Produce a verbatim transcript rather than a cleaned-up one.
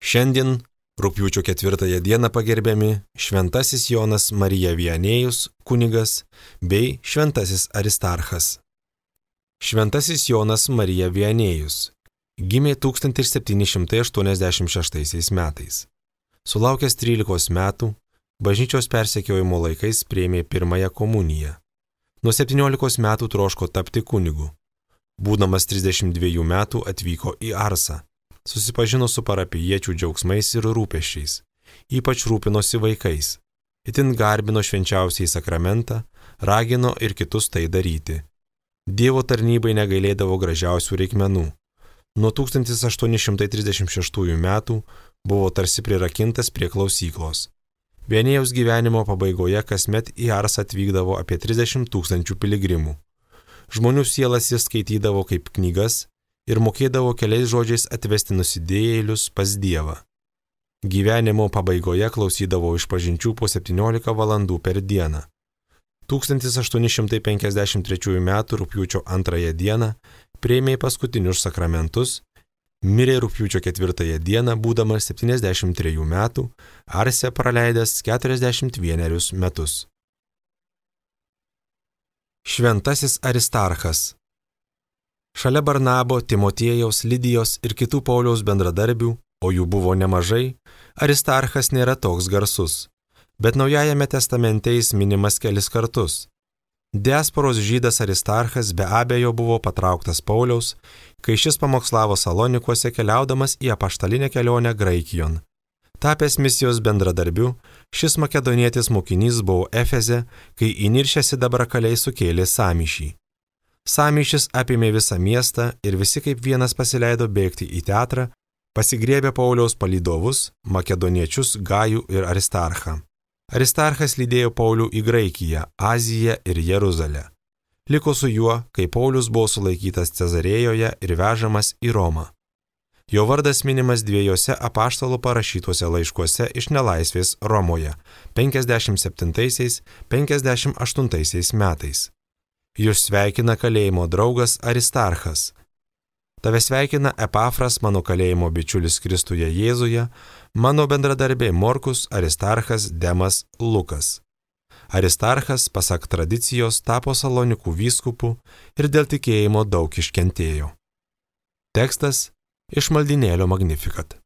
Šiandien, rugpjūčio ketvirtąją dieną pagerbiami Šventasis Jonas Marija Viannėjus, kunigas, bei Šventasis Aristarchas. Šventasis Jonas Marija Viannėjus gimė tūkstantis septyni šimtai aštuoniasdešimt šeštaisiais metais. Sulaukęs trylikos metų, bažnyčios persekiojimo laikais priėmė pirmąją komuniją. Nuo septyniolikos metų troško tapti kunigu. Būdamas trisdešimt dviejų metų atvyko į Arsą. Susipažino su parapijiečių džiaugsmais ir rūpesčiais, ypač rūpinosi vaikais. Itin garbino švenčiausiai sakramentą, ragino ir kitus tai daryti. Dievo tarnybai negailėdavo gražiausių reikmenų. Nuo tūkstantis aštuoni šimtai trisdešimt šeštųjų metų buvo tarsi prirakintas prie klausyklos. Viannėjaus gyvenimo pabaigoje kasmet į Arsą atvykdavo apie trisdešimt tūkstančių piligrimų. Žmonių sielas jis skaitydavo kaip knygas ir mokėdavo keliais žodžiais atvesti nusidėjėlius pas Dievą. Gyvenimo pabaigoje klausydavo išpažinčių po septyniolika valandų per dieną. tūkstantis aštuoni šimtai penkiasdešimt trečiųjų metų rugpjūčio antrąją dieną priėmė paskutinius sakramentus, mirė rugpjūčio ketvirtąją dieną, būdamas septyniasdešimt trejų metų, Arse praleidęs keturiasdešimt vienerius metus. Šventasis Aristarchas. Šalia Barnabo, Timotiejaus, Lidijos ir kitų Pauliaus bendradarbių, o jų buvo nemažai, Aristarchas nėra toks garsus, bet Naujajame testamente jis minimas kelis kartus. Diasporos žydas Aristarchas be abejo buvo patrauktas Pauliaus, kai šis pamokslavo Salonikuose keliaudamas į apaštalinę kelionę Graikijon. Tapęs misijos bendradarbiu, šis makedonietis mokinys buvo Efeze, kai įniršę sidabrakaliai sukėlė sąmyšį. Sąmyšis apėmė visą miestą ir visi kaip vienas pasileido bėgti į teatrą, pasigriebė Pauliaus palydovus, makedoniečius Gajų ir Aristarchą. Aristarchas lydėjo Paulių į Graikiją, Aziją ir Jeruzalę. Liko su juo, kai Paulius buvo sulaikytas Cezarėjoje ir vežamas į Romą. Jo vardas minimas dviejose apaštalų parašytuose laiškuose iš nelaisvės Romoje penkiasdešimt septintaisiais - penkiasdešimt aštuntaisiais metais. Jūs sveikina kalėjimo draugas Aristarchas. Tave sveikina Epafras, mano kalėjimo bičiulis Kristuje Jėzuje, mano bendradarbė Morkus, Aristarchas, Demas, Lukas. Aristarchas, pasak tradicijos, tapo Salonikų vyskupu ir dėl tikėjimo daug iškentėjo. Tekstas iš maldynėlio Magnificat.